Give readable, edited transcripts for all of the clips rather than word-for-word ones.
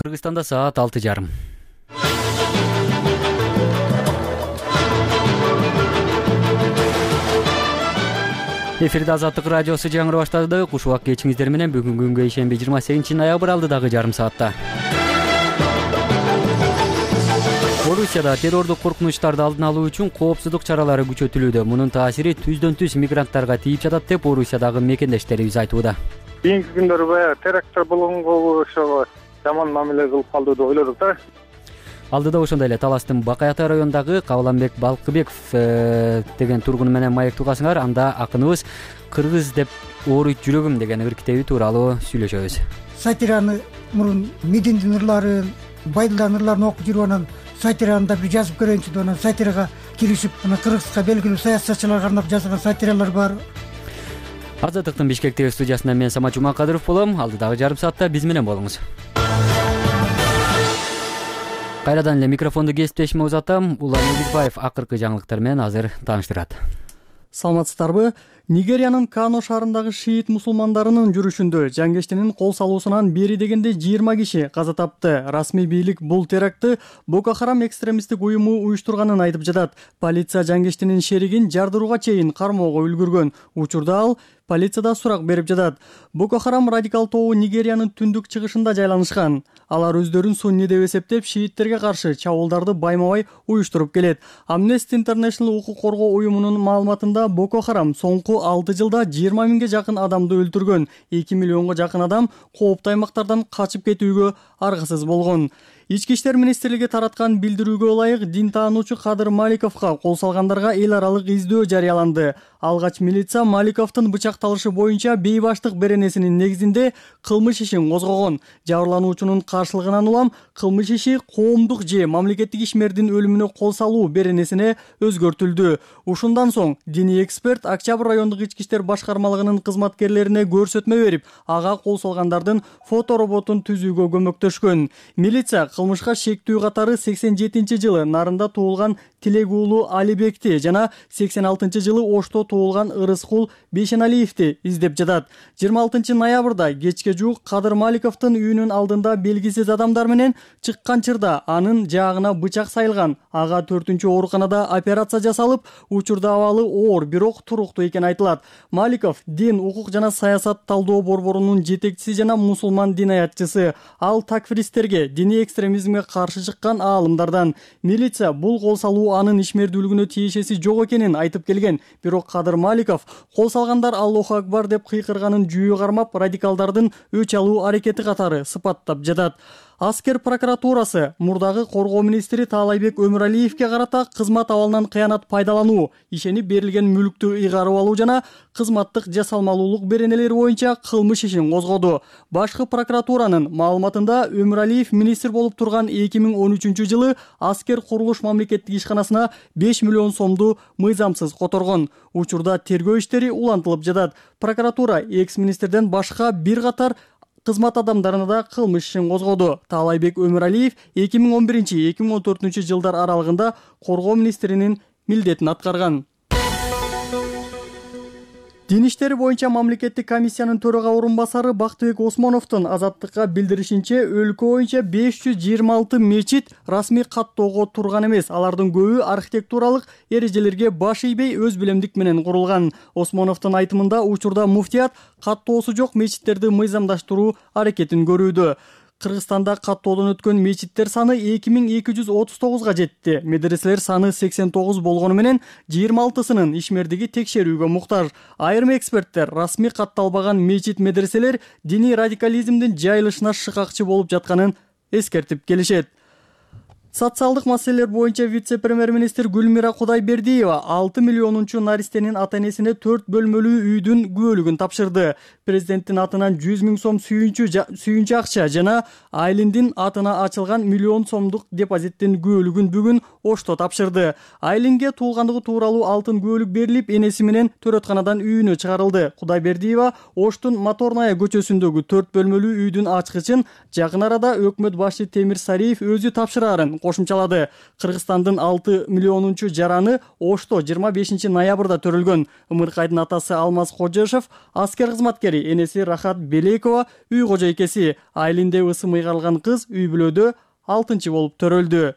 Кыргызстанда саат 6:30. Эфирде Азаттык радиосу жаңыры баштады. Куш убак кечиңиздер менен бүгүнкү күнгө ишемби 28 ноябрь алдыдагы жарым саатта. Орусияда террордук коркунучтарды алдын алуу үчүн коопсуздук чаралары күчөтүлүүдө. Мунун таасири түздөн түз мигранттарга тийип жатат деп Орусиядагы мекендештерибиз айтууда. Кийинки күндөрү баягы теракттар болгонго ошого жаман мамиле кылып калды деп ойлодук да. Алдыда ошондой эле Таластын Бакай Ата районундагы Кабыланбек Балкыбеков деген тургуну менен маектик угасыңар. Анда акыныбыз кыргыз деп ооруйт жүрөгүм деген ыр китеби тууралуу сүйлөшөбүз. Сатираны мурун Мединдин ырларын, Байдылдын ырларын окуп жүрүп анан сатираны да бир жазып көрөйүнчү деп анан сатирага киришип, анан кыргызга белгилүү саясатчыларга арнап жазган сатиралар бар. Азаттыктын Бишкектеги студиясынан мен Самат Жумакадыров болом. Алдыдагы жарым саатта биз менен болуңуз. Кайрадан эле микрофонду кесиптешиме узатам. Улан Эликбаев акыркы жаңылыктар менен азыр тааныштырат. Саламатсыздарбы? Нигериянын Кано шаарындагы шиит мусулмандарынын жүрүшүндө жангештинин кол салуусунан бери дегенде 20 киши каза тапты. Расмий бийлик бул терактты Боко Харам экстремисттик уюму уюштурганын айтып жатат. Полиция жангештинин шеригин жардырууга чейин кармоого үлгүргөн. Учурда ал полицияда сурак берип жатат. Боко Харам радикал тобу Нигериянын түндүк чыгышында жайланышкан. Алар өздөрүн сунни деп эсептеп, шииттерге каршы чабуулдарды байма-бай уюштуруп келет. Amnesty International укук коргоо уюмунун маалыматында Боко Харам соңку 6 жылда 20 миңге жакын адамды өлтүргөн. 2 миллионго жакын адам кооптуу аймактардан качып кетүүгө аргасыз болгон. Ички иштер министрлиги тараткан билдирүүгө ылайык дин таануучу Кадыр Маликовго кол салгандарга эл аралык издөө жарыяланды. Алгач милиция Маликовдун бычакталышы боюнча бейбаштык беренесинин негизинде кылмыш ишин козгогон. Жабырлануучунун каршылыгынан улам кылмыш иши коомдук же мамлекеттик ишмердин өлүмүнө кол салуу беренесине өзгөртүлдү. Ушундан соң диний эксперт Октябрь райондук ички иштер башкармалыгынын кызматкерлерине көрсөтмө берип, ага кол салгандардын фотороботун түзүүгө көмөктөшкөн. Милиция кылмышка шектүү катары 87-жылы Нарында туулган Тилек уулу Алибекти жана 86-жылы Ошто туулган Ырыскул Бейшеналиевди издеп жатат. 26 ноябрда кечке жуук Кадыр Маликовдун үйүнүн алдында белгисиз адамдар менен чыккан чырда анын жаагына бычак сайылган. Ага 4-чү ооруканада операция жасалып, учурда абалы оор, бирок туруктуу экени айтылат. Маликов дин, укук жана саясат талдоо борборунун жетекчиси жана мусулман динаятчысы. Ал такфиристтерге, диний экстремизмге каршы чыккан аалымдардан. Милиция бул кол салуу анын ишмердүүлүгүнө тиешеси жок экенин айтып келген. Бирок Кадыр Маликов кол салгандар Аллаху акбар деп кыйкырганын жүйү кармап, радикалдардын өч алуу аракети катары сыпаттап жатат. Аскер прокуратурасы мурдагы коргоо министри Таалайбек Өмүралиевге карата кызмат абалынан кыянат пайдалануу, ишенип берилген мүлктү ыйгарып алуу жана кызматтык жасалмалуулук беренелери боюнча кылмыш ишин козгоду. Башкы прокуратуранын маалыматында Өмүралиев министр болуп турган 2013-жылы Аскер курулуш мамлекеттик ишканасына 5 миллион сомду мыйзамсыз которгон. Учурда тергөө иштери улантылып жатат. Прокуратура экс-министрден башка бир катар кызмат адамдарына да кылмыш ишин козгоду. Таалайбек Өмүралиев 2011-2014 жылдар аралыгында коргоо министринин милдетин аткарган. Дин иштери боюнча мамлекеттик комиссиянын төрага орун басары Бактыбек Осмоновдун Азаттыкка билдиришинче, өлкө боюнча 526 мечит расмий каттоого турган эмес. Алардын көбү архитектуралык эрежелерге баш ийбей өз билемдик менен курулган. Осмоновдун айтымында учурда муфтият каттоосу жок мечиттерди мыйзамдаштыруу аракетин көрүүдө. Кыргызстанда каттоодон өткөн мечиттер саны 2239 жетти. Медреселер саны 89 болгону менен 26-сынын ишмердиги текшерүүгө муктаж. Айрым эксперттер расмий катталбаган мечит медреселер диний радикализмдин жайылышына шыкакчы болуп жатканын эскертип келишет. Социалдык маселелер боюнча вице-премьер-министр Гүлмира Кудайбердиева 6 миллионунчу наристенин ата-энесине 4 бөлмөлүү үйдүн күбөлүгүн тапшырды. Президенттин атынан 100 миң сом сүйүнчү акча жана Айлиндин атына ачылган миллион сомдук депозиттин күбөлүгүн бүгүн Ошто тапшырды. Айлинге туулгандыгы тууралуу алтын күбөлүк берилип, энеси менен төрөтканадан үйүнө чыгарылды. Кудайбердиева Оштун Моторная көчөсүндөгү 4 бөлмөлүү үйдүн ачкычын жакын арада өкмөт башчы Темир Сариев өзү тапшырарын кошумчалады. Кыргызстандын 6 миллионунчу жараны Ошто 25 ноябрда төрөлгөн. Ымыркайдын атасы Алмаз Кожошев аскер кызматкери, энеси Рахат Белекова үй кожойкеси. Айылында ысым ыйгарылган кыз үй бүлөдө 6-чы болуп төрөлдү.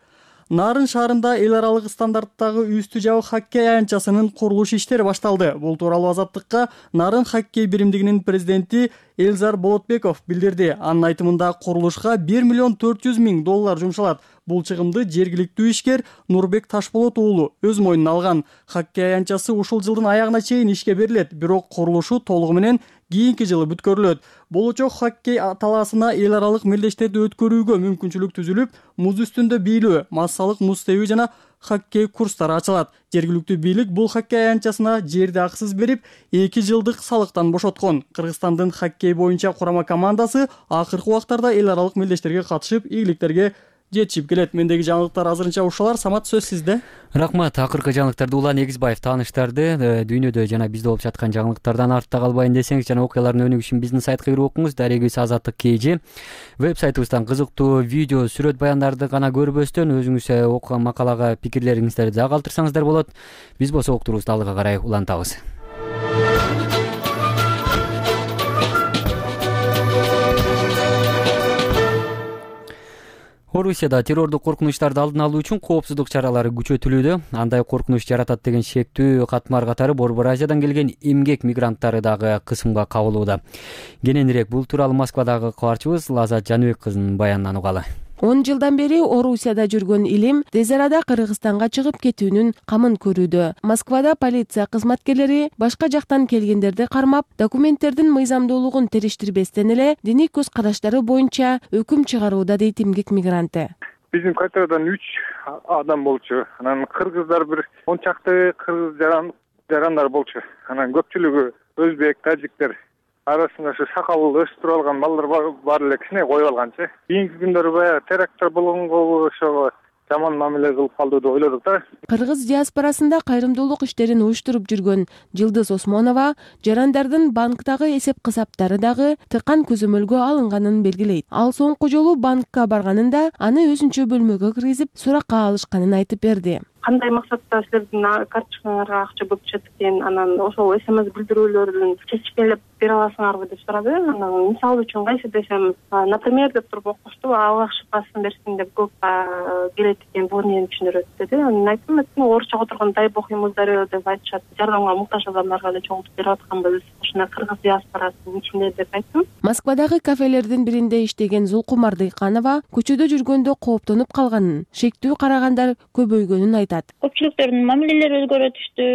Нарын шаарында эл аралык стандарттагы үстү жабык хоккей аянтчасынын курулуш иштери башталды. Бул тууралуу Азаттыкка Нарын хоккей биримдигинин президенти Элзар Болотбеков билдирди. Анын айтымында курулушка $1,400,000 жумшалат. Бул чыгымды жергиликтүү ишкер Нурбек Ташболот уулу өз мойнуна алган. Хоккей аянтчасы ушул жылдын аягына чейин ишке берилет, бирок курулушу толугу менен кийинки жылы бүткөрүлөт. Болочок хоккей талаасына эл аралык мелдештерди өткөрүүгө мүмкүнчүлүк түзүлүп, муз үстүндө бийлөө, массалык муз тебүү жана хоккей курстары ачылат. Жергиликтүү бийлик бул хоккей аянтчасына жерди акысыз берип, 2 жылдык салыктан бошоткон. Кыргызстандын хоккей боюнча курама командасы акыркы убактарда эл аралык мелдештерге катышып, ийгиликтерге жетишип келет. Мендеги жаңылыктар азырынча ушулар. Самат, сөз сизде. Рахмат. Акыркы жаңылыктарды Улан Эгизбаев тааныштырды. Дүйнөдө жана бизде болуп жаткан жаңылыктардан артта калбайын десеңиз жана окуялардын өнүгүшү үчүн биздин сайтка кирип окуңуз. Дарегибиз Азаттык KG. Веб-сайтыбыздан кызыктуу видео, сүрөт баяндарды гана көрбөстөн өзүңүз окуган макалага пикирлериңиздерди да калтырсаңыздар болот. Биз болсо уктуруубузду алдыга карай улантабыз. Орусияда террордук коркунучтарды алдын алуу үчүн коопсуздук чаралары күчөтүлүүдө. Андай коркунуч жаратат деген шектүү катмар катары Борбор Азиядан келген эмгек мигранттары дагы кысымга кабылууда. Кененирээк бул тууралуу Москвадагы кабарчыбыз Лазат Жаныбек кызынын баянынан угалы. 10 жылдан бери Орусияда жүргөн Илим тез арада Кыргызстанга чыгып кетүүнүн камын көрүүдө. Москвада полиция кызматкерлери башка жактан келгендерди кармап, документтердин мыйзамдуулугун териштирбестен эле диний көз караштары боюнча өкүм чыгарууда дейт эмгек мигранты. Биздин квартирадан 3 адам болчу. Анан кыргыздар бир 10 чакты кыргыз жарандар болчу. Анан көпчүлүгү өзбек, тажиктер. Арасында ошо сакал өстүрүп алган балдар бар эле кичине коюп алганчы. Кийинки күндөрү баягы теракттар болгонго ошого жаман мамиле кылып калды деп ойлодук да. Кыргыз диаспорасында кайрымдуулук иштерин уюштуруп жүргөн Жылдыз Осмонова жарандардын банктагы эсеп кысаптары дагы тыкан көзөмөлгө алынганын белгилейт. Ал соңку жолу банкка барганында аны өзүнчө бөлмөгө киргизип суракка алышканын айтып берди. Кандай максатта силердин карточкаңарга акча көп түшөт экен, анан ошол СМС билдирүүлөрдүн чечкелеп бере аласыңарбы деп сурады. Анан мисал үчүн кайсы десем, например деп туруп окушту, аллах шифасын берсин деп көп келет экен, бул эмнени түшүндүрөт деди. Анан айттым, орусчага отурган тайып окуймуздар деп айтышат. Жардамга муктаж адамдарга эле чогултуп берип атканбыз, ушуна кыргыз диаспорасынын ичинде деп айттым. Москвадагы кафелердин биринде иштеген Зулкумар Дыйканова көчөдө жүргөндө кооптонуп калганын, шектүү карагандар көбөйгөнүн айтат. Көпчүлүктөрдүн мамилелери өзгөрө түштү,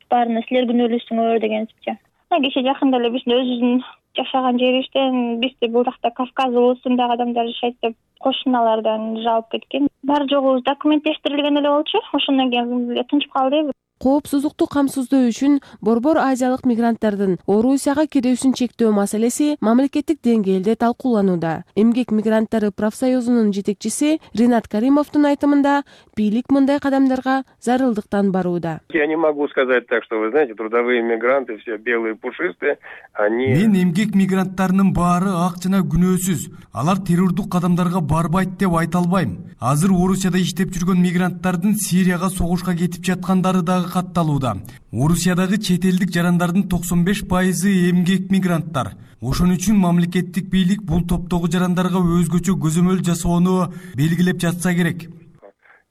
баарына силер күнөөлүүсүңөр дегенсипчи. Киши жакында эле биздин өзүбүздүн жашаган жерибизден бизди бул жакта Кавказ улусундагы адамдар жашайт деп кошуналардан жалп кеткен. Баары жогу документтештирилген эле болчу. Ошондон кийин тынчып калды. Коопсуздукту камсыздоо үчүн Борбор Азиялык мигранттардын Орусияга кирүүсүн чектөө маселеси мамлекеттик деңгээлде талкууланууда. Эмгек мигранттары профсоюзунун жетекчиси Ринат Каримовдун айтымында бийлик мындай кадамдарга зарылдыктан барууда. Я не могу сказать так, что вы знаете, трудовые мигранты все белые пушистые, они... Мен эмгек мигранттарынын баары ак жана күнөөсүз. Алар террордук кадамдарга барбайт деп айта албайм. Азыр Орусияда иштеп жүргөн мигранттардын Сирияга согушка кетип жаткандары дагы катталууда. Орусиядагы чет элдик жарандардын 95% эмгек мигранттар. Ошон үчүн мамлекеттик бийлик бул топтогу жарандарга өзгөчө көзөмөл жасоону белгилеп жатса керек.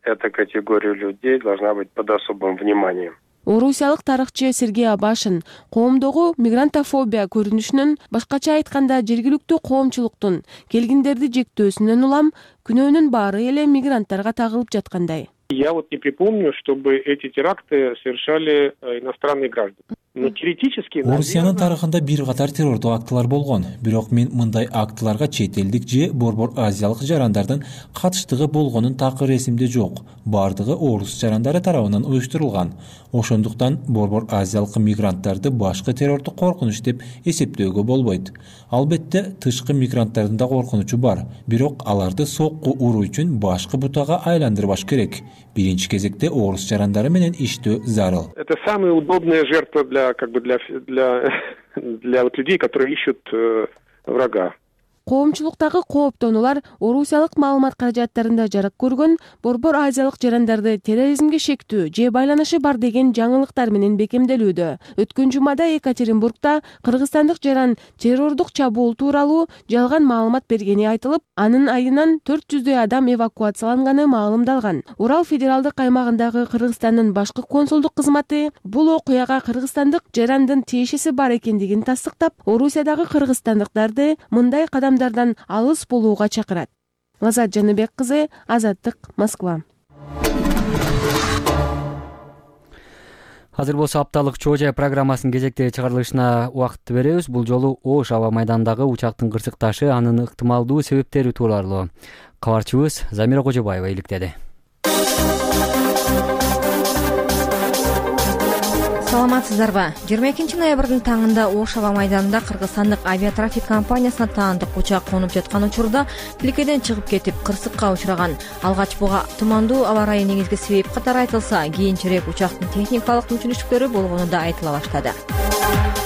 Эта категория людей должна быть под особым вниманием. Орусиялык тарыхчы Сергей Абашин коомдогу мигрантофобия көрүнүшүнүн, башкача айтканда жергиликтүү коомчулуктун келгиндерди жектөөсүнөн улам күнөөнүн баары эле мигранттарга тагылып жаткандай. Я вот не припомню, чтобы эти теракты совершали иностранные граждане. Но теоретически... Орусиянын тарыхында бир катар террордук актылар болгон. Бирок мен мындай актыларга чет элдик же Борбор Азиялык жарандардын катыштыгы болгонун такыр эсимде жок. Бардыгы орус жарандары тарабынан уюштурулган. Ошондуктан Борбор Азиялык мигранттарды башкы террордук коркунуч деп эсептөөгө болбойт. Албетте тышкы мигранттардын да коркунучу бар. Бирок аларды сокку уруу үчүн башкы бутага айландырбаш керек. Биринчи кезекте орус жарандары менен иштөө зарыл. Это самая удобная жертва для вот людей, которые ищут врага. коомчулуктагы кооптонуулар орусиялык маалымат каражаттарында жарык көргөн Борбор Азиялык жарандарды терроризмге шектүү же байланышы бар деген жаңылыктар менен бекемделүүдө. Өткөн жумада Екатеринбургда кыргызстандык жаран террордук чабуул тууралуу жалган маалымат бергени айтылып, анын айынан 400дөй адам эвакуацияланганы маалымдалган. Урал федералдык аймагындагы Кыргызстандын башкы консулдук кызматы бул окуяга кыргызстандык жарандын тиешеси бар экендигин тастыктап, Орусиядагы кыргызстандыктарды мындай кадамдардан алыс болууга чакырат. Азат Жаныбек кызы, Азаттык, Москва. Азыр болсо апталык Чоо Жай программасынын кезектеги чыгарылышына убакыт беребиз. Бул жолу Ош аба майданындагы учактын кырсыкташы, анын ыктымалдуу себептери тууралуу кабарчыбыз Замира Кожобаева иликтеди. Саламатсыздарбы? 22-ноябрдын таңында Ош аба майданында кыргызстандык авиатрафик компаниясына таандык учак конуп жаткан учурда тилкеден чыгып кетип кырсыкка учураган. Алгач буга тумандуу аба ырайы негизги себеп катары айтылса, кийинчерээк учактын техникалык мүмкүнчүлүктөрү болгону да айтыла баштады.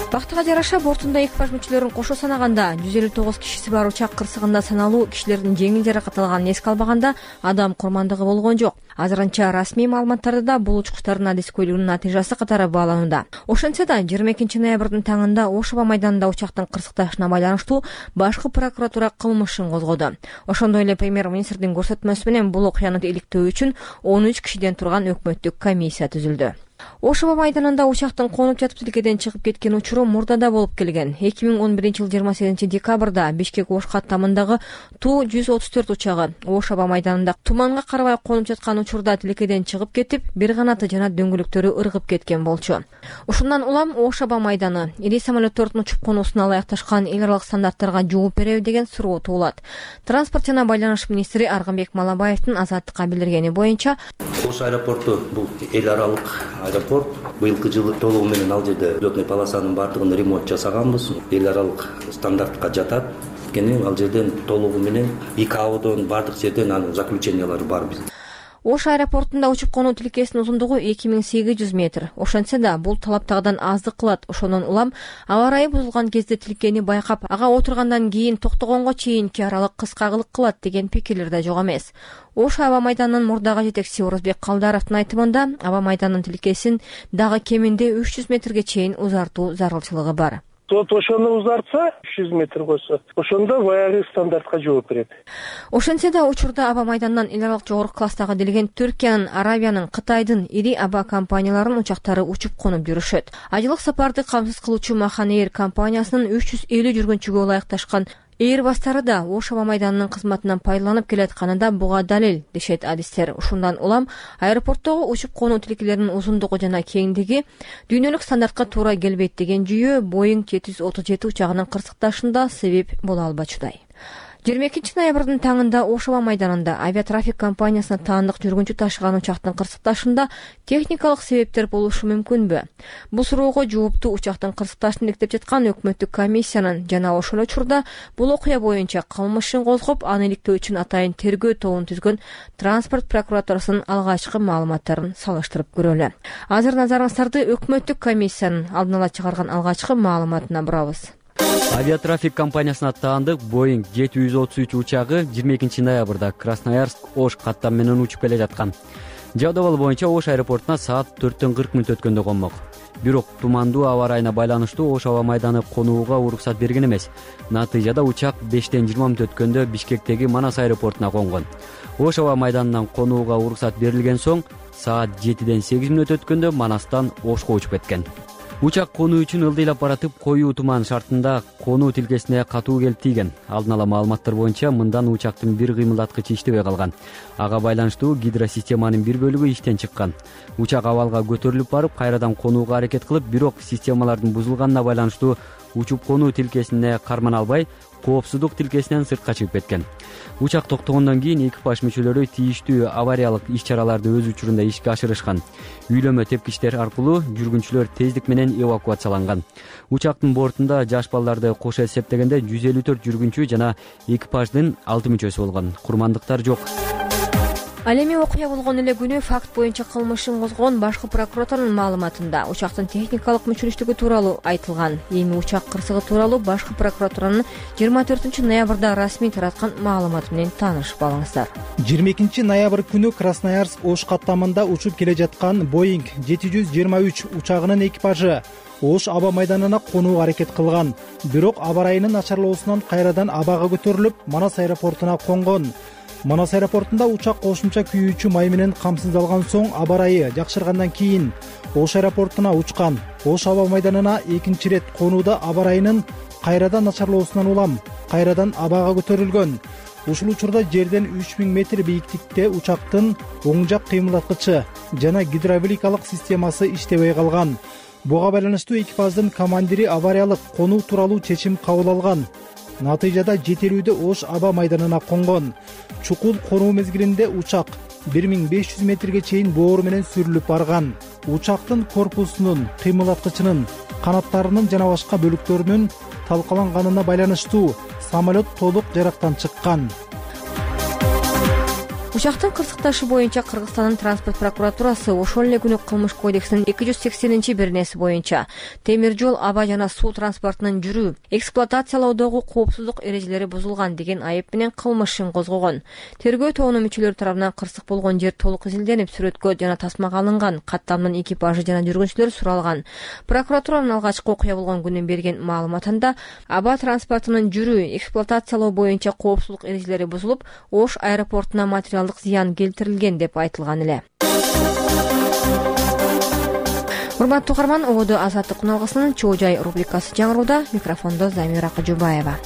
Бактыга жараша бортунда экипаж мүчөлөрүн кошо санаганда 159 кишиси бар учак кырсыгында саналуу кишилердин жеңил жаракат алганын эске албаганда адам курмандыгы болгон жок. Азырынча расмий маалыматтарда да бул учкучтардын адискөйлүгүнүн натыйжасы катары бааланууда. Ошентсе да 22-ноябрдын таңында Ош аба майданында учактын кырсыкташына байланыштуу башкы прокуратура кылмыш ишин козгоду. Ошондой эле премьер-министрдин көрсөтмөсү менен бул окуяны иликтөө үчүн 13 кишиден турган өкмөттүк комиссия түзүлдү. Ош аба майданында учактын конуп жатып тилкеден чыгып кеткен учуру мурда да болуп келген. 2011-жыл 28-декабрда Бишкек-Ош каттамындагы Ту-134 учагы Ош аба майданында туманга карабай конуп жаткан учурда тилкеден чыгып кетип, бир канаты жана дөңгөлөктөрү ыргып кеткен болчу. Ушундан улам Ош аба майданы ири самолеттордун учуп конуусуна ылайыкташкан эл аралык стандарттарга жооп береби деген суроо туулат. Транспорт жана байланыш министри Аргынбек Малабаевдин Азаттыкка билдиргени боюнча, Ош аэропорту бул эл аралык аэропорт. Быйылкы жылы толугу менен ал жерде взлетный полосанын баардыгын ремонт жасаганбыз. Эл аралык стандартка жатат. Кene ал жерден толугу менен ИКАОдон баардык жерден анын заключениялары бар биз. Ош аэропортунда учуп конуу тилкесинин узундугу 2800 метр. Ошентсе да бул талаптагыдан аздык кылат. Ошондон улам аба ырайы бузулган кезде тилкени байкап, ага отургандан кийин токтогонго чейинки аралык кыскагылык кылат деген пикирлер да жок эмес. Ош аба майданынын мурдагы жетекчиси Орозбек Калдаровдун айтымында, аба майданынын тилкесин дагы кеминде 300 метрге чейин узартуу зарылчылыгы бар. Сот ошону узартса, 300 метр койсо, ошондо баягы стандартка жооп берет. Ошентсе да учурда аба майдандан эл аралык жогорку класстагы делген Түркиянын, Арабиянын, Кытайдын ири аба компанияларынын учактары учуп конуп жүрүшөт. Айылык сапарды камсыз кылуучу Махан Эйр компаниясынын 350 жүргүнчүгө ылайыкташкан Эйрбастары да Ош аба майданынын кызматынан пайдаланып келатканы да буга далил, дешет адистер. Ушундан улам аэропорттогу учуп конуу тилкелеринин узундугу жана кеңдиги дүйнөлүк стандартка туура келбейт деген жүйө Boeing 737 учагынын кырсыкташында себеп боло албачудай. 22-ноябрдын таңында Ош аба майданында авиатрафик компаниясына таандык жүргүнчү ташыган учактын кырсыкташында техникалык себептер болушу мүмкүнбү? Бул суроого жоопту учактын кырсыкташын иликтеп жаткан өкмөттүк комиссиянын жана ошол учурда бул окуя боюнча кылмыш ишин козгоп, аны иликтөө үчүн атайын тергөө тобун түзгөн транспорт прокуратурасынын алгачкы маалыматтарын салыштырып көрөлү. Азыр назарыңыздарды өкмөттүк комиссиянын алдын ала чыгарган алгачкы маалыматына бурабыз. Авиатрафик компаниясына таандык Boeing 733 учагы 22-ноябрда Красноярск-Ош каттам менен учуп келе жаткан. Жабдыбал боюнча Ош аэропортуна саат 4:40 өткөндө конмок. Бирок тумандуу аба ырайына байланыштуу Ош аба майданы конууга уруксат берген эмес. Натыйжада учак 5:20 өткөндө Бишкектеги Манас аэропортуна конгон. Ош аба майданынан конууга уруксат берилген соң саат 7:08 өткөндө Манастан Ошко учуп кеткен. Учак конуу үчүн ылдыйлап баратып, коюу туман шартында конуу тилкесине катуу келип тийген. Алдын ала маалыматтар боюнча мындан учактын бир кыймылдаткычы иштебей калган. Ага байланыштуу гидросистеманын бир бөлүгү иштен чыккан. Учак абалга көтөрүлүп барып, кайрадан конууга аракет кылып, бирок системалардын бузулганына байланыштуу учуп конуу тилкесине кармана албай, коопсуздук тилкесинен сыртка чыгып кеткен. Учак токтогондон кийин экипаж мүчөлөрү тийиштүү авариялык иш-чараларды өз учурунда ишке ашырышкан. Үйлөмө тепкичтер аркылуу жүргүнчүлөр тездик менен эвакуацияланган. Учактын бортунда жаш балдарды кошо эсептегенде 154 жүргүнчү жана экипаждын 6 мүчөсү болгон. Курмандыктар жок. Ал эми окуя болгон эле күнү факт боюнча кылмышын козгогон башкы прокуратуранын маалыматында учактын техникалык мүчүлүштүгү тууралуу айтылган. Эми учак кырсыгы тууралуу башкы прокуратуранын 24 ноябрда расмий тараткан маалыматы менен таанышып алыңыздар. 22 ноябрь күнү Красноярск Ош каттамында учуп келе жаткан Boeing 723 учагынын экипажы Ош аба майданына конууга аракет кылган. Бирок аба ырайынын начарлоосунан кайрадан абага көтөрүлүп, Манас аэропортуна конгон. Манас аэропортунда учак кошумча күйүүчү май менен камсыздалган соң аба ырайы жакшыргандан кийин Ош аэропортуна учкан. Ош аба майданына экинчи ирет конууда аба ырайынын кайрадан начарлоосунан улам кайрадан абага көтөрүлгөн. Ушул учурда жерден 3000 метр бийиктикте учактын оң жак кыймылдаткычы жана гидравликалык системасы иштебей калган. Буга байланыштуу экипаждын командири авариялык конуу тууралуу чечим кабыл алган. Натыйжада жетелүүдө Ош аба майданына конгон. Чукул конуу мезгилинде учак 1500 метрге чейин боору менен сүрүлүп барган. Учактын корпусунун, кыймылдаткычынын, канаттарынын жана башка бөлүктөрүнүн талкаланганына байланыштуу самолет толук жарактан чыккан. Учактын кырсыкташы боюнча Кыргызстандын транспорт прокуратурасы ошол эле күнү кылмыш кодексинин 280-беренеси боюнча темир жол, аба жана суу транспортунун жүрүү, эксплуатациялоодогу коопсуздук эрежелери бузулган деген айып менен кылмышын козгогон. Тергөө тобунун мүчөлөрү тарабынан кырсык болгон жер толук изилденип, сүрөткө жана тасмага алынган. Каттамдын экипажы жана жүргүнчүлөр суралган. Прокуратуранын алгачкы окуя болгон күнү берген маалыматында аба транспортунун жүрүү, эксплуатациялоо боюнча коопсуздук эрежелери бузулуп, Ош аэропортуна материалдык зыян келтирилген деп айтылган эле. Урматтуу угарман, ободо Азаттык күналгысынын Чоо жай рубрикасы жаңырууда. Микрофондо Замира Кажубаева.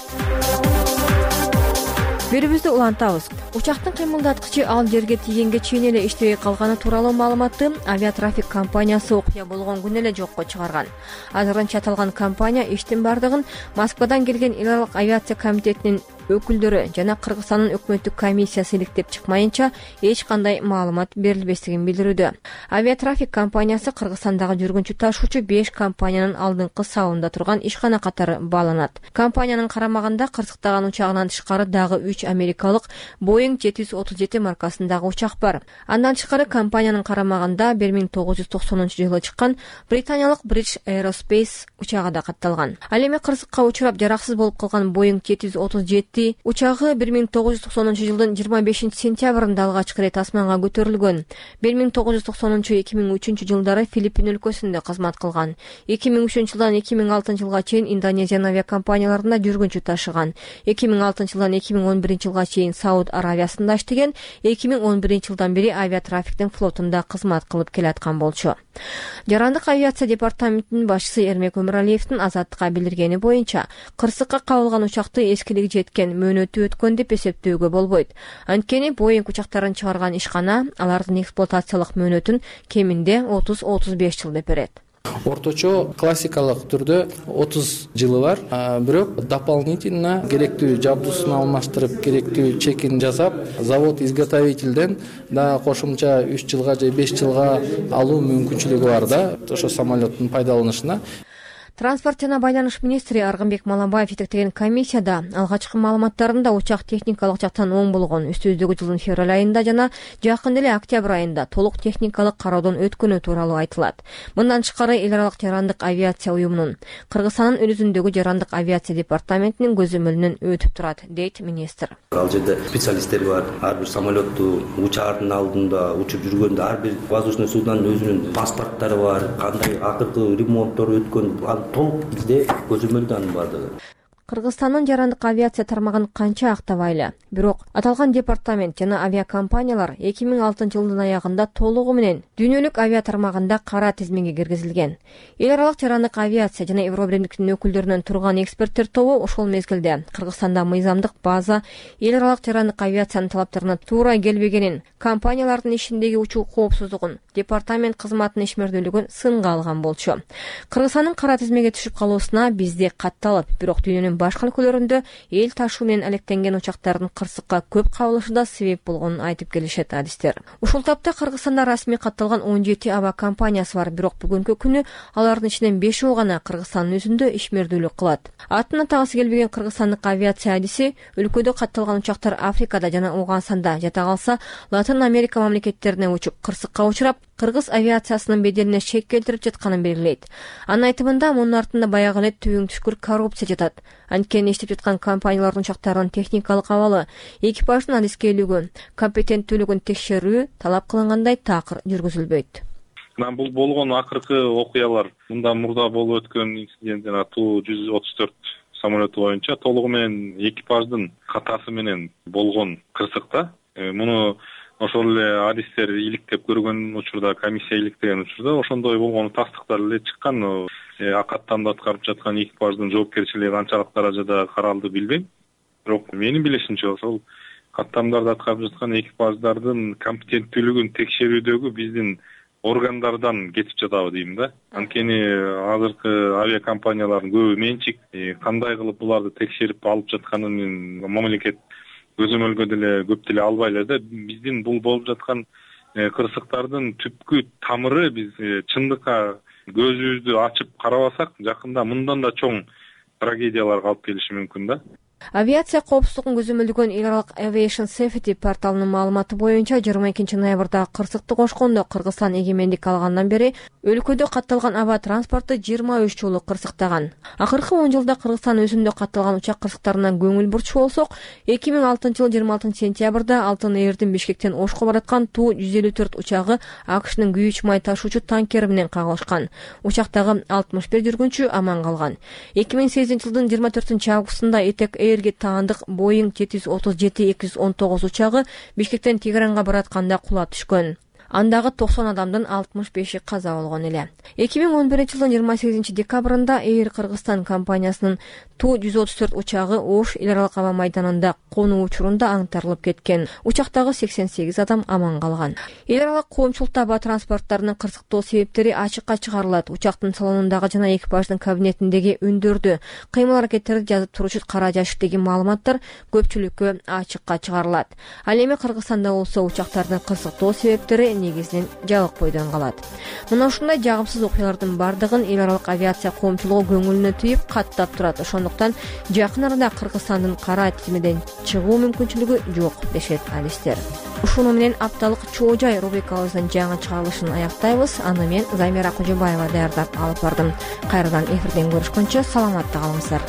Берүүбүздү улантабыз. Учактын кыймылдаткычы ал жерге тийгенге чейин эле иштебей калганы тууралуу маалыматты авиатрафик компаниясы окуя болгон күнү эле жокко чыгарган. Азырынча аталган компания иштин бардыгын Москвадан келген эл аралык авиация комитетинин өкүлдөрү жана Кыргызстандын өкмөттүк комиссиясы иликтеп чыкмайынча эч кандай маалымат берилбестигин билдирүүдө. Авиатрафик компаниясы Кыргызстандагы жүргүнчү ташуучу 5 компаниянын алдыңкы сабында турган ишкана катары бааланат. Компаниянын карамагында кырсыктаган учагынан тышкары дагы 3 америкалык Boeing 737 маркасындагы учак бар. Андан тышкары компаниянын карамагында 1990-жылы чыккан британиялык British Aerospace учагы да катталган. Ал эми кырсыкка учурап жараксыз болуп калган Boeing 737 учагы 1990-жылдын 25 сентябрында алгачкы ирет асманга көтөрүлгөн. 1990-2003 жылдары Филиппин өлкөсүндө кызмат кылган. 2003-жылдан 2006 жылга чейин Индонезиянын авиакомпанияларында жүргүнчү ташыган. 2006 жылдан 2011 жылга чейин Сауд Аравиясында иштеген. 2011 жылдан бери авиатрафиктин флотунда кызмат кылып келаткан болчу. Жарандык авиация департаментинин башчысы Эрмек Өмүралиевдин Азаттыкка билдиргени боюнча, кырсыкка кабылган учакты эскилиги жеткен, мөөнөтү өткөн деп эсептөөгө болбойт. Анткени Boeing учактарын чыгарган ишкана алардын эксплуатациялык мөөнөтүн кеминде 30-35 жыл деп берет. Орточо классикалык түрдө 30 жылы бар, бирок дополнительно керектүү жабдуусун алмаштырып, керектүү чекин жасап, завод-изготовительден да кошумча 3 жылга же 5 жылга алуу мүмкүнчүлүгү бар да, ошо самолеттин пайдаланышына. Транспорт жана байланыш министри Аргынбек Малабаев жетектеген комиссияда алгачкы маалыматтарында учак техникалык жактан оң болгон, үстүбүздөгү жылдын февраль айында жана жакын эле октябрь айында толук техникалык кароодон өткөнү тууралуу айтылат. Мындан тышкары эл аралык жарандык авиация уюмунун Кыргызстандын өлүзүндөгү жарандык авиация департаментинин көзөмөлүнөн өтүп турат, дейт министр. Ал жерде специалисттер бар. Ар бир самолетту учаардын алдында учуп жүргөндө ар бир воздушный суднонун өзүнүн паспорттору бар, кандай акыркы ремонттор өткөн толук бизде көзөмөлдөн бардыгы. Кыргызстандын жарандык авиация тармагын канча актабайлы. Бирок аталган департамент жана авиакомпаниялар 2006 жылдын аягында толугу менен дүйнөлүк авиа тармагында кара тизмеге киргизилген. Эл аралык жарандык авиация жана Евробирликтин өкүлдөрүнөн турган эксперттер тобу ошол мезгилде Кыргызстанда мыйзамдык база эл аралык жарандык авиациянын талаптарына туура келбегенин, компаниялардын ишиндеги учуу коопсуздугун, департамент кызматынын ишмердүүлүгүн сынга алган болчу. Кыргызстандын кара тизмеге түшүп калуусуна бизде катталып, бирок дүйнөнүн башка өлкөлөрүндө эл ташуу менен алектенген учактардын кырсыкка көп кабылышы да себеп болгонун айтып келишет адистер. Ушул тапта Кыргызстанда расмий катталган 17 аба компаниясы бар, бирок бүгүнкү күнү алардын ичинен 5 гана Кыргызстандын өзүндө ишмердүүлүк кылат. Атын атагысы келбеген кыргызстандык авиация адиси өлкөдө катталган учактар Африкада жана Уганданда, жата калса Латын Америка мамлекеттерине учуп кырсыкка учурап, кыргыз авиациясынын беделине шек келтирип жатканын белгилейт. Анын айтымында мунун артында баягы эле түбүң түшкүр коррупция жатат. Анткени иштеп жаткан компаниялардын учактарынын техникалык абалы, экипаждын адискейлиги, компетенттүүлүгүн текшерүү талап кылынгандай такыр жүргүзүлбөйт. Бул болгон акыркы окуялар мындан мурда болуп өткөн инцидент жана Ту-134 самолету боюнча толугу менен экипаждын катасы менен болгон кырсыкта. Муну ошол эле адистер иликтеп көргөн учурда, комиссия иликтеген учурда ошондой болгону тастыктар эле чыккан. Каттамды аткарып жаткан экипаждын жоопкерчилиги канчалык даражада каралды билбейм. Бирок менин билишимче ошол каттамдарды аткарып жаткан экипаждардын компетенттүүлүгүн текшерүүдөгү биздин органдардан кетип жатабы дейм да. Анткени азыркы авиакомпаниялардын көбү менчик, кандай кылып буларды текшерип алып жатканын мамлекет көзөмөлгө деле көп деле албай эле да. Биздин бул болуп жаткан кырсыктардын түпкү тамыры, биз чындыкка көзүбүздү ачып карабасак, жакында мындан да чоң трагедияларга алып келиши мүмкүн да. Авиация коопсуздугун көзөмөлдөгөн эл аралык Aviation Safety порталынын маалыматы боюнча 22 ноябрда кырсыкты кошкондо Кыргызстан эгемендик алгандан бери өлкөдө катталган аба транспорту 23 жолу кырсыктаган. Акыркы 10 жылда Кыргызстан өзүндө катталган учак кырсыктарынан көңүл бурчу болсок, 2006 жылы 26 сентябрда Алтын Эрдин Бишкектен Ошко бараткан Ту-154 учагы АКШнын күйүүч май ташуучу танкери менен кагылышкан. Учактагы 61 жүргүнчү аман калган. 2008 жылдын 24 августунда Этек Эрге таандык Boeing 737-219 учагы Бишкектен Тегеранга баратканда кулап түшкөн. Андагы 90 адамдын 65-и каза болгон эле. 2011 жылдын 28 декабрында Air Кыргызстан компаниясынын Ту-134 учагы Ош эл аралык аба майданында конуу учурунда аңтарылып кеткен. Учактагы 88 адам аман калган. Эл аралык коомчулукта аба транспорттарынын кырсыктоо себептери ачыкка чыгарылат. Учактын салонундагы жана экипаждын кабинетиндеги үндөрдү, кыймыл аракеттерди жазып туручу кара жашыктагы маалыматтар көпчүлүккө ачыкка чыгарылат. Ал эми Кыргызстанда болсо учактардын кырсыктоо себептери негизинен жабык бойдон калат. Мына ушундай жагымсыз окуялардын бардыгын эл аралык авиация коомчулугу көңүлүнө түйүп каттап турат. Ошондуктан жакын арада Кыргызстандын кара тизмеден чыгуу мүмкүнчүлүгү жок дешет адистер. Ушуну менен апталык Чоо жай рубрикабыздын жаңы чыгарылышын аяктайбыз. Аны мен Замира Кожобаева даярдап алып бардым. Кайрадан эфирден көрүшкөнчө саламатта калыңыздар.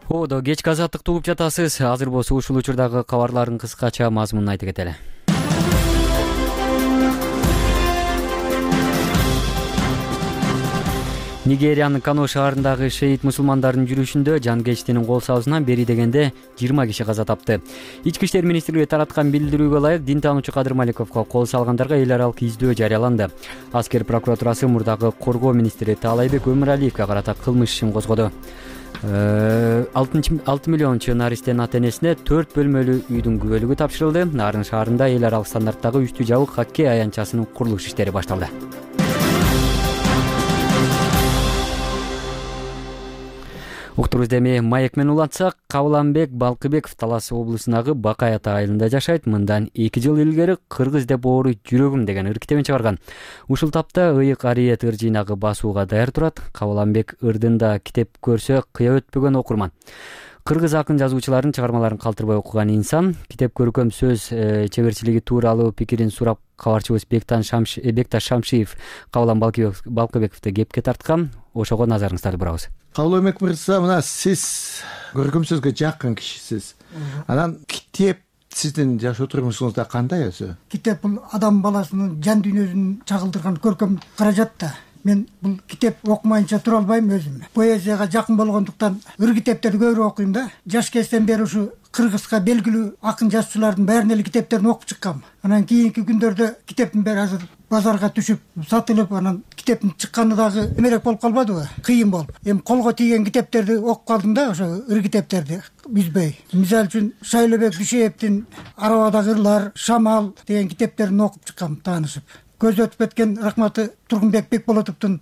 Одо кечки азаттыкты угуп жатасыз. Азыр болсо ушул учурдагы кабарлардын кыскача мазмунун айтып кетели. Нигериянын Кано шаарындагы шейит мусулмандардын жүрүшүндө жангечтинин кол салуусунан бери дегенде 20 киши каза тапты. Ички иштер министрлиги тараткан билдирүүгө ылайык дин таануучу Кадыр Маликовго кол салгандарга эл аралык издөө жарыяланды. Аскер прокуратурасы мурдагы коргоо министри Таалайбек Өмүралиевге карата кылмыш ишин козгоду. 6 миллион чынаристен ата-энесине 4 бөлмөлүү үйдүн күбөлүгү тапшырылды. Нарын шаарында эл аралык стандарттагы үстү жабык хоккей аянтчасынын курулуш иштери башталды. Уктурубузду эми маек менен улантсак, Кабыланбек Балкыбеков Талас облусундагы Бакай Ата айылында жашайт. Мындан 2 жыл илгери кыргыз деп ооруй жүрөгүм деген ыр китебин чыгарган. Ушул тапта ыйык ариет ыр жыйнагы басууга даяр турат. Кабыланбек ырдында китеп көрсө кыя өтпөгөн окурман. Кыргыз акын жазуучулардын чыгармаларын калтырбай окуган инсан. Китеп көркөм сөз чеберчилиги тууралуу пикирин сурап кабарчыбыз Бекташ Шамшиев Кабылан Балкыбековду кепке тарткан. Ошого назарыңыздарды бурабыз. Кабыланбек мырза, мына сиз көркөм сөзгө жакын кишисиз. Анан китеп сиздин жашоо турмушуңузда кандай өзү? Китеп бул адам баласынын жан дүйнөсүн чагылдырган көркөм каражат да. Мен бул китеп окумайынча тура албайм өзүм. Поэзияга жакын болгондуктан ыр китептерди көбүрөөк окуйм да. Жаш кезден бери ушу кыргызга белгилүү акын жазуучулардын баарынын эле китептерин окуп чыккам. Анан кийинки күндөрдө китептин бери азыр базарга түшүп, сатылып, анан китептин чыкканы дагы эмерээк болуп калбадыбы? Кыйын болуп. Эми колго тийген китептерди окуп калдым да, ошо ыр китептерди үзбөй. Мисалы үчүн Шайлообек Дүйшеевдин Арабадагы ырлар, Шамал деген китептерин окуп чыккам таанышып. Көз өтүп кеткен рахматы Тургунбек Бекболотовдун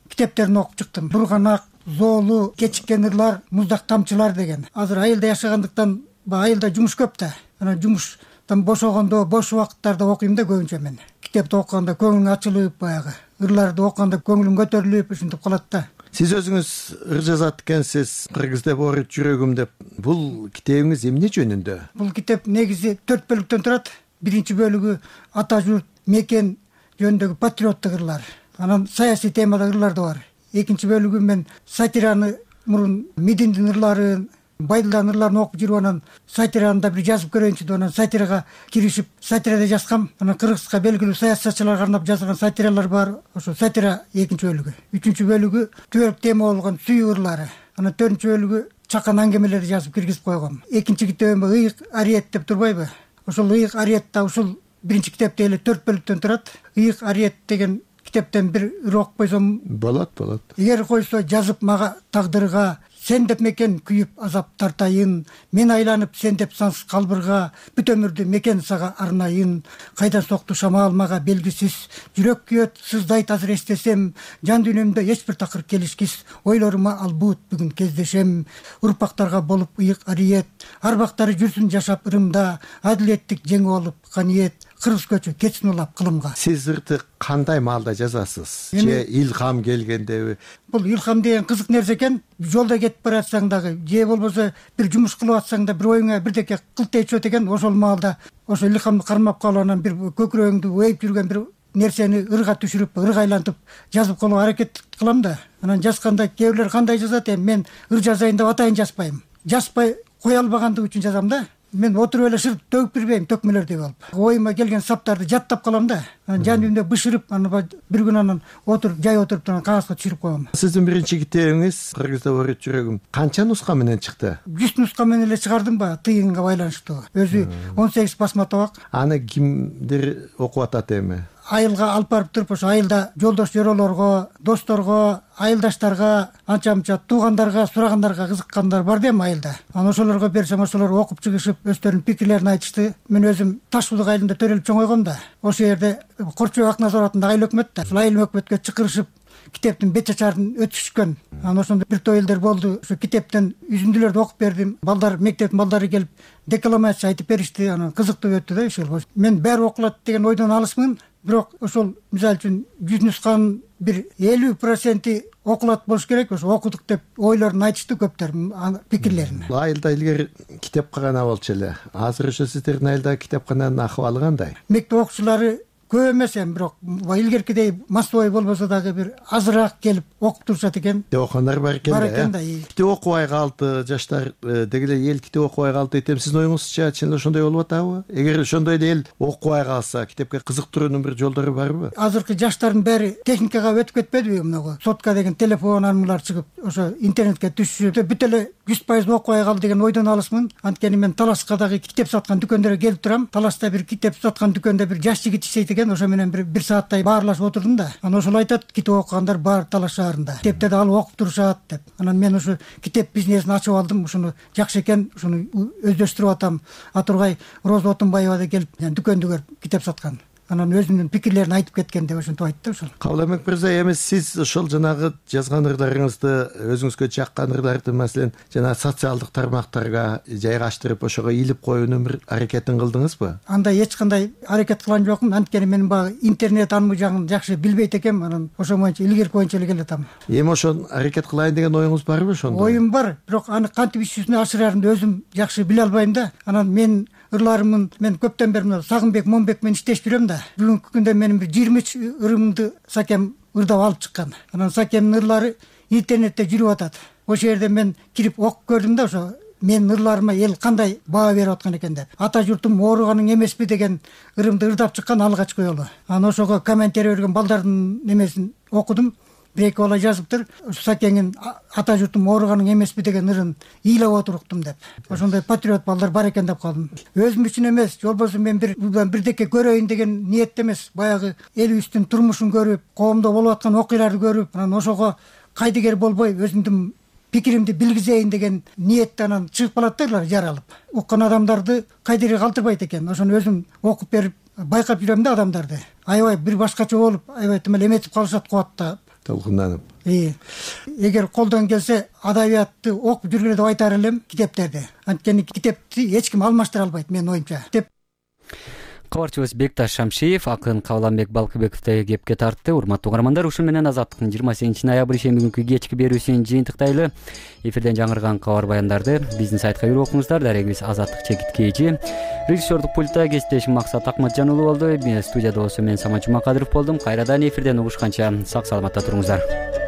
китептерин окуп чыктым. Бурганак, Зоолу, Кечиккен ырлар, Муздак тамчылар деген. Азыр айылда жашагандыктан айылда жумуш көп да. Анан жумуштан бошогондо, бош убакыттарда окуйм да көбүнчө мен. Китепти окуганда көңүлүң ачылып, баягы ырларды окуганда көңүлүң көтөрүлүп ушинтип калат да. Сиз өзүңүз ыр жазат экенсиз, кыргыз деп орут жүрөгүм деп. Бул китебиңиз эмне жөнүндө? Бул китеп негизи 4 бөлүктөн турат. Биринчи бөлүгү ата журт, мекен жөнүндөгү патриоттук ырлар. Анан саясий темада ырлар да бар. Экинчи бөлүгү мен сатираны, мурун Мединдин ырларын, Байдылдын ырларын окуп жүрүп, анан сатираны да бир жазып көрөйүнчү деп, анан сатирага киришип, сатирада жазгам. Анан кыргызга белгилүү саясатчыларга арнап жазылган сатиралар бар. Ошо сатира экинчи бөлүгү. Үчүнчү бөлүгү түбөлүк тема болгон сүйүү ырлары. Анан төртүнчү бөлүгү чакан аңгемелерди жазып киргизип койгом. Экинчи китебим ыйык ариет деп турбайбы? Ошол ыйык ариетта ушул биринчи китепте эле 4 бөлүктөн турат. Ыйык ариет деген китептен бир ыр окуп койсом болот. Эгер койсо жазып мага тагдырга, сен деп мекен күйүп азап тартайын, мен айланып сен деп сансыз калбырга, бүт өмүрдү мекен сага арнайын, кайдан сокту шамал мага белгисиз, жүрөк күйөт сыздайт азыр эстесем, жан дүйнөмдө эч бир такыр келишкис, ойлорума албут бүгүн кездешем, урпактарга болуп ыйык ариет, арбактары жүрсүн жашап ырымда, адилеттик жеңип алып каниет, кыргыз көчү кетсин улап кылымга. Сиз ырды кандай маалда жазасыз? Же илхам келгендеби? Бул илхам деген кызык нерсе экен. Жолдо кетип баратсаң дагы, же болбосо бир жумуш кылып атсаң да бир оюңа бирдеке кылтайчүп экен, ошол маалда ошол илхамды кармап калып, анан бир көкүрөгүңдү ойуп жүргөн бир нерсени ырга түшүрүп, ырга айлантып жазып колууга аракет кылам да. Анан жазганда кээ бирлер кандай жазат, мен ыр жазайын деп атайын жазбайм. Жазбай кое албагандыгы үчүн жазам да. Мен отуруп эле шырт төгүп бербейм, төкмөлөрдөй болуп. Оюма келген саптарды жаттап калам да. Жан дүйнөмдө бышырып, анан бир күн анан жай отуруп кагазга түшүрүп коем. Сиздин биринчи китебиңиз кыргызда орут жүрөгүм канча нуска менен чыкты? 100 нуска менен эле чыгардым ба, тыйынга байланыштуу. Өзү 18 басма табак. Аны кимдер окуп атат эми? Айылга алып барып туруп, ошо айылда жолдош жоролорго, досторго, айылдаштарга, анча-мынча туугандарга, сурагандарга кызыккандар бар да эми айылда. Анан ошолорго берсем, ошолор окуп чыгышып, өздөрүнүн пикирлерин айтышты. Мен өзүм Ташбулук айылында төрөлүп чоңойгом да. Ошол жерде Корчобек Акназаровдун айыл өкмөт да. Ошол айыл өкмөткө чакырышып, китептин бет чачарын өтүшкөн. Анан ошондо бир топ элдер болду. Ошо китептен үзүндүлөрдү окуп бердим. Балдар, мектептин балдары келип декламация айтып беришти. Анан кызыктуу өттү да ошол. Мен баары окулат деген ойдон алысмын. Бирок ошол мисалы үчүн 100 нусканын бир 50% окулат болуш керек. Ошо окудук деп ойлорун айтышты көптөр, пикирлерин. Айылда илгери китепкана болчу эле. Азыр ошо сиздердин айылдагы китепкананын акыбалы кандай? Мектеп окуучулары көп эмес эми, бирок илгеркидей массовой болбосо дагы бир азыраак келип окуп турушат экен. Китеп окугандар бар экен да. Бар экен да. Китеп окубай калды, жаштар деги эле эл китеп окубай калды дейт. Сиздин оюңузча чын эле ошондой болуп атабы? Эгер ошондой эле эл окубай калса, китепке кызыктыруунун бир жолдору барбы? Азыркы жаштардын баары техникага өтүп кетпедиби? Мынагу сотка деген телефон анылар чыгып, ошо интернетке түшүп, бүт эле 100% окубай калды деген ойдон алысмын. Анткени мен Таласка дагы китеп саткан дүкөндөргө келип турам. Таласта бир китеп саткан дүкөндө бир жаш жигит иштейт экен. Ошо менен бир сааттай баарлашып отурдум да. Анан ошол айтат, китеп окугандар бар Талаш шаарында. Китептерди алып окуп турушат деп. Анан мен ошо китеп бизнесин ачып алдым. Ошону жакшы экен, ошону өздөштүрүп атам. Атургай Роза Отунбаева да келип дүкөндү көрүп китеп саткан. Анан өзүнүн пикирлерин айтып кеткен деп ошентип айтты ошол. Кабылбек мырза, эми сиз ошол жанагы жазган ырларыңызды, өзүңүзгө жаккан ырларды, маселен, жана социалдык тармактарга жайгаштырып, ошого илип коюунун бир аракетин кылдыңызбы? Андай эч кандай аракет кылган жокмун. Анткени мен баягы интернет анмы жагын жакшы билбейт экенмин. Анан ошо боюнча илгерки боюнча эле келатам. Эми ошон аракет кылайын деген оюңуз барбы ошондо? Оюм бар, бирок аны кантип иш жүзүнө ашыраарымды өзүм жакшы биле албайм да. Анан мен ырларымын, мен көптөн бери Сагынбек Момбек менен иштешип жүрөм да. Бүгүнкү күндө менин бир 23 ырымды Сакем ырдап алып чыккан. Анан Сакемдин ырлары интернетте жүрүп атат. Ошол жерде мен кирип окуп көрдүм да, ошо менин ырларыма эл кандай баа берип аткан экен деп. Ата журтум ооруганың эмеспи деген ырымды ырдап чыккан алгачкы жолу. Анан ошого комментарий берген балдардын немесин окудум. Бир-эки бала жазыптыр. Сакеңин ата журтум ооруганың эмеспи деген ырын ыйлап отуруктум деп. Ошондой патриот балдар бар экен деп калдым. Өзүм үчүн эмес, жолбосо мен бирдеке көрөйүн деген ниетте эмес, баягы элибиздин турмушун көрүп, коомдо болуп аткан окуяларды көрүп, анан ошого кайдыгер болбой өзүмдүн пикиримди билгизейин деген ниетте анан чыгып калат да жаралып. Уккан адамдарды кайдыгер калтырбайт экен. Ошону өзүм окуп берип байкап жүрөм да адамдарды. Аябай бир башкача болуп, аябай тим эле эметип калышат кубатта. Толкунданып. эгер колдон келсе адабиятты окуп жүргүлө деп айтар элем, китептерди. Анткени китепти эч ким алмаштыра албайт менин оюмча. Кабарчыбыз Бекташ Шамшиев акын Кааланбек Балкыбековду кепке тартты. Урматтуу угармандар, ушун менен Азаттыктын 28 ноябрь ишембү күнкү кечки берүүсүн жыйынтыктайлы. Эфирден жаңырган кабар баяндарды биздин сайтка кирип окуңуздар. Дарегибиз Азаттык Чекиткейчи. Режиссердук пультта кесиптешим Максат Акматжанұлы болду. Студияда болсо мен Самат Жумакадыров болдум. Кайрадан эфирден угушканча сак саламатта туруңуздар.